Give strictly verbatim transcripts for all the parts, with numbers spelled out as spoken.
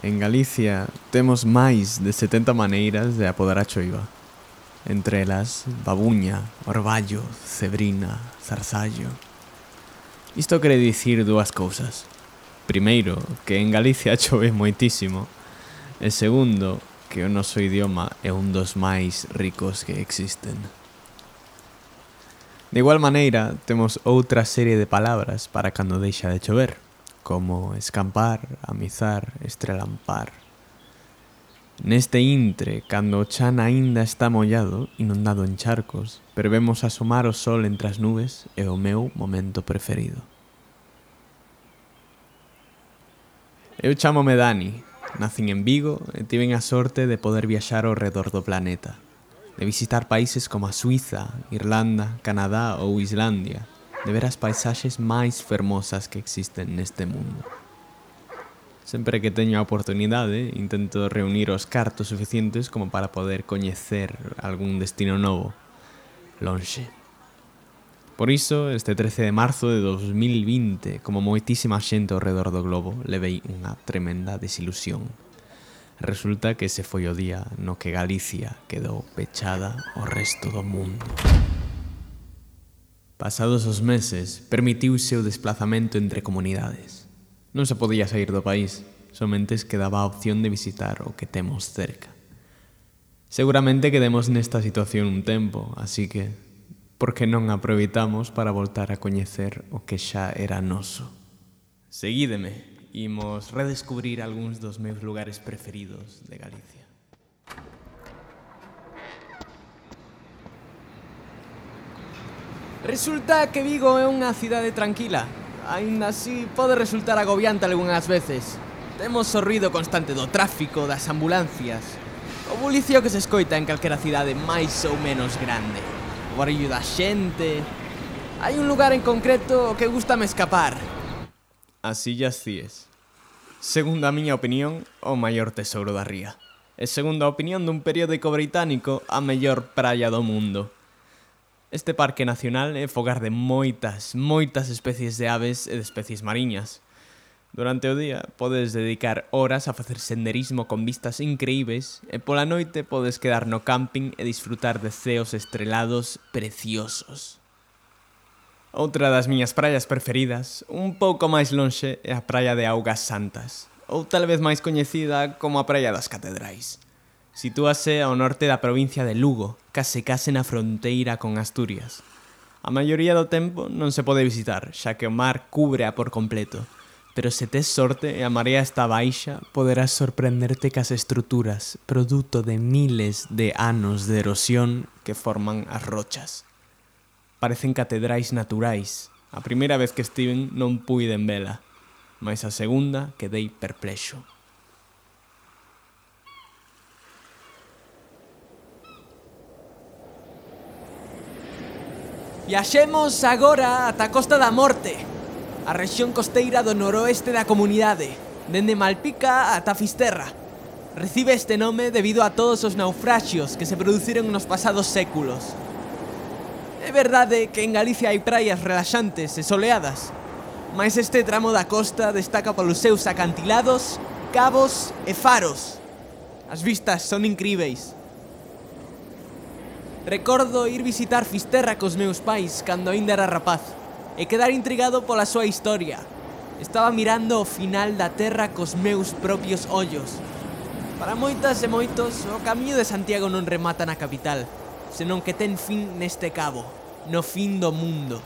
En Galicia temos máis de setenta maneiras de apodar a choiva. Entre elas, babuña, orballo, cebrina, zarzallo. Isto quere dicir dúas cousas. Primeiro, que en Galicia chove moitísimo. E segundo, que o noso idioma é un dos máis ricos que existen. De igual maneira, temos outra serie de palabras para cando deixa de chover, como escampar, amizar, estrelampar. Neste intre, cando o chan aínda está mollado, inundado en charcos, pero vemos asomar o sol entre as nubes, é o meu momento preferido. Eu chámome Dani, nacín en Vigo e tiven a sorte de poder viaxar ao redor do planeta, de visitar países como a Suiza, Irlanda, Canadá ou Islandia, de ver as paisaxes máis fermosas que existen neste mundo. Sempre que teño a oportunidade, intento reunir os cartos suficientes como para poder coñecer algún destino novo, lonxe. Por iso, este trece de marzo de dos mil vinte, como moitísima xente ao redor do globo, levei unha tremenda desilusión. Resulta que ese foi o día no que Galicia quedou pechada ao resto do mundo. Pasados os meses, permitiuse o desplazamento entre comunidades. Non se podía sair do país, somente quedaba a opción de visitar o que temos cerca. Seguramente quedemos nesta situación un tempo, así que, por que non aproveitamos para voltar a coñecer o que xa era noso? Seguídeme, imos redescubrir algúns dos meus lugares preferidos de Galicia. Resulta que Vigo é unha cidade tranquila. Aínda así, pode resultar agobiante algunhas veces. Temos o ruido constante do tráfico, das ambulancias, o bulicio que se escoita en calquera cidade máis ou menos grande, o barullo da xente. Hai un lugar en concreto que gústame escapar. As Illas Cíes. Segundo a miña opinión, o maior tesouro da ría. E segundo a opinión dun periódico británico, a mellor praia do mundo. Este parque nacional é fogar de moitas, moitas especies de aves e de especies mariñas. Durante o día podes dedicar horas a facer senderismo con vistas increíbles e pola noite podes quedar no camping e disfrutar de ceos estrelados preciosos. Outra das miñas praias preferidas, un pouco máis lonxe, é a praia de Augas Santas, ou tal vez máis coñecida como a praia das Catedrais. Sitúase ao norte da provincia de Lugo, case case na fronteira con Asturias. A maioría do tempo non se pode visitar, xa que o mar cúbrea por completo. Pero se tes sorte e a marea está baixa, poderás sorprenderte cas estruturas, produto de miles de anos de erosión que forman as rochas. Parecen catedrais naturais. A primeira vez que estiven non puiden vela, mais a segunda quedei perplexo. Viaxemos agora ata a Costa da Morte, a rexión costeira do noroeste da comunidade, dende Malpica ata Fisterra. Recibe este nome debido a todos os naufraxios que se produciron nos pasados séculos. É verdade que en Galicia hai praias relaxantes e soleadas, mas este tramo da costa destaca polos seus acantilados, cabos e faros. As vistas son incríveis. Recordo ir visitar Fisterra cos meus pais cando aínda era rapaz e quedar intrigado pola súa historia. Estaba mirando o final da terra cos meus propios ollos. Para moitas e moitos, o camiño de Santiago non remata na capital, senón que ten fin neste cabo, no fin do mundo.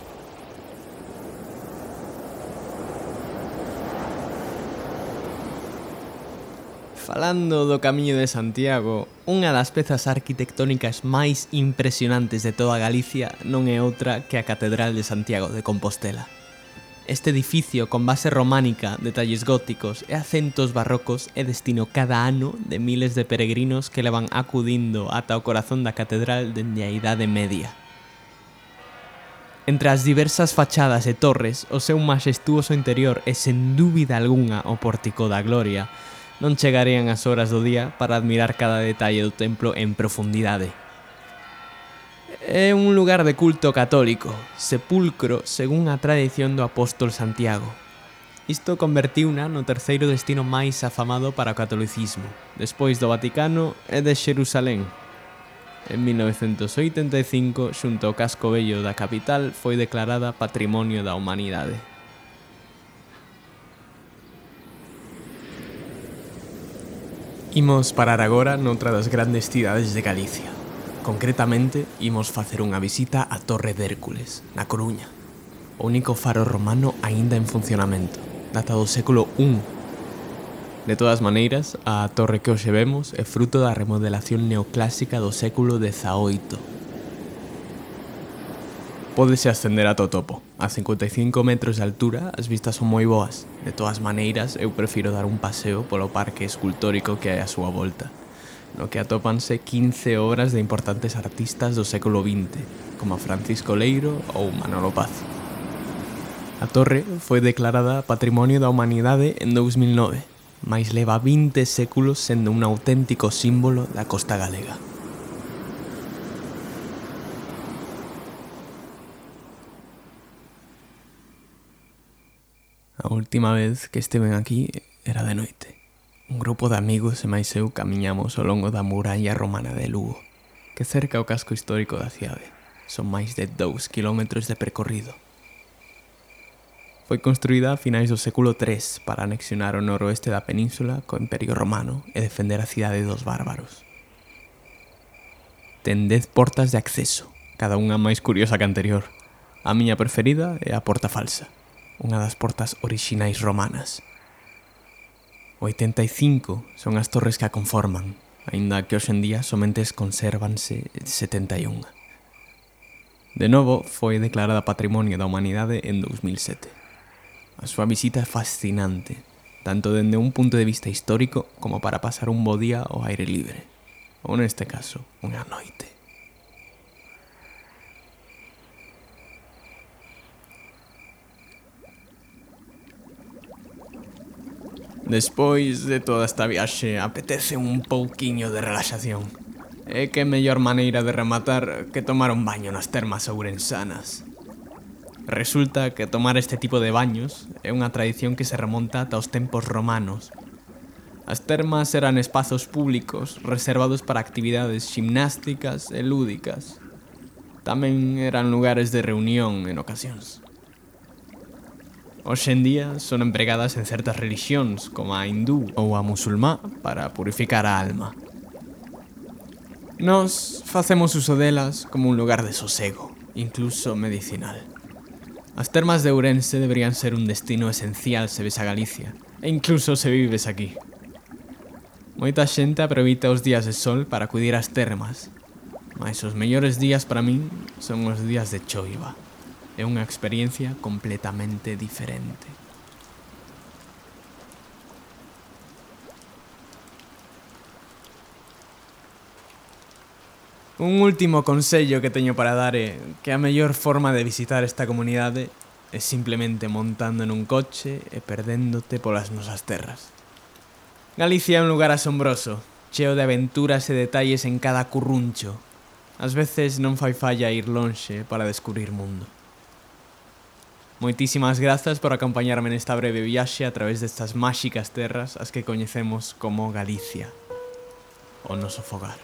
Falando do Camiño de Santiago, unha das pezas arquitectónicas máis impresionantes de toda Galicia non é outra que a Catedral de Santiago de Compostela. Este edificio con base románica, detalles góticos e acentos barrocos é destino cada ano de miles de peregrinos que levan acudindo ata o corazón da catedral dende a Idade Media. Entre as diversas fachadas e torres, o seu maxestuoso interior e sen dúbida algunha o Pórtico da Gloria non chegarían as horas do día para admirar cada detalle do templo en profundidade. É un lugar de culto católico, sepulcro según a tradición do apóstol Santiago. Isto convertiuna no terceiro destino máis afamado para o catolicismo, despois do Vaticano e de Xerusalén. En mil novecentos oitenta e cinco, xunto ao casco vello da capital, foi declarada Patrimonio da Humanidade. Imos parar agora noutra das grandes cidades de Galicia. Concretamente, imos facer unha visita á Torre de Hércules, na Coruña. O único faro romano aínda en funcionamento, data do século primeiro. De todas maneiras, a torre que hoxe vemos é fruto da remodelación neoclásica do século dezaoito. Pódese ascender ata o topo. A cincuenta e cinco metros de altura as vistas son moi boas. De todas maneiras, eu prefiro dar un paseo polo parque escultórico que hai á súa volta, no que atópanse quince obras de importantes artistas do século vinte, como Francisco Leiro ou Manolo Paz. A torre foi declarada Patrimonio da Humanidade en dous mil nove, mais leva vinte séculos sendo un auténtico símbolo da costa galega. A última vez que estiven aquí era de noite. Un grupo de amigos e máis eu camiñamos ao longo da muralla romana de Lugo, que cerca o casco histórico da cidade. Son máis de dous kilómetros de percorrido. Foi construída a finais do século tres para anexionar o noroeste da península co Imperio Romano e defender a cidade dos bárbaros. Ten dez portas de acceso, cada unha máis curiosa que a anterior. A miña preferida é a Porta Falsa, unha das portas orixinais romanas. oitenta e cinco son as torres que a conforman, aínda que hoxe en día somente consérvanse setenta e unha. De novo, foi declarada Patrimonio da Humanidade en dous mil sete. A súa visita é fascinante, tanto dende un punto de vista histórico como para pasar un bo día ao aire libre, ou neste caso, unha noite. Despois de toda esta viaxe, apetece un pouquiño de relaxación. E que mellor maneira de rematar que tomar un baño nas termas ourensanas. Resulta que tomar este tipo de baños é unha tradición que se remonta ata os tempos romanos. As termas eran espazos públicos reservados para actividades ximnásticas e lúdicas. Tamén eran lugares de reunión en ocasións. Hoxe en día son empregadas en certas religións, como a hindú ou a musulmá, para purificar a alma. Nós facemos uso delas como un lugar de sosego, incluso medicinal. As termas de Ourense deberían ser un destino esencial se ves a Galicia, e incluso se vives aquí. Moita xente aproveita os días de sol para acudir ás termas, mas os mellores días para min son os días de choiva. É unha experiencia completamente diferente. Un último consello que teño para dar é que a mellor forma de visitar esta comunidade é simplemente montando nun coche e perdéndote polas nosas terras. Galicia é un lugar asombroso, cheo de aventuras e detalles en cada curruncho. Ás veces non fai falla ir lonxe para descubrir mundo. Moitísimas grazas por acompañarme nesta breve viaxe a través destas máxicas terras as que coñecemos como Galicia, o noso fogar.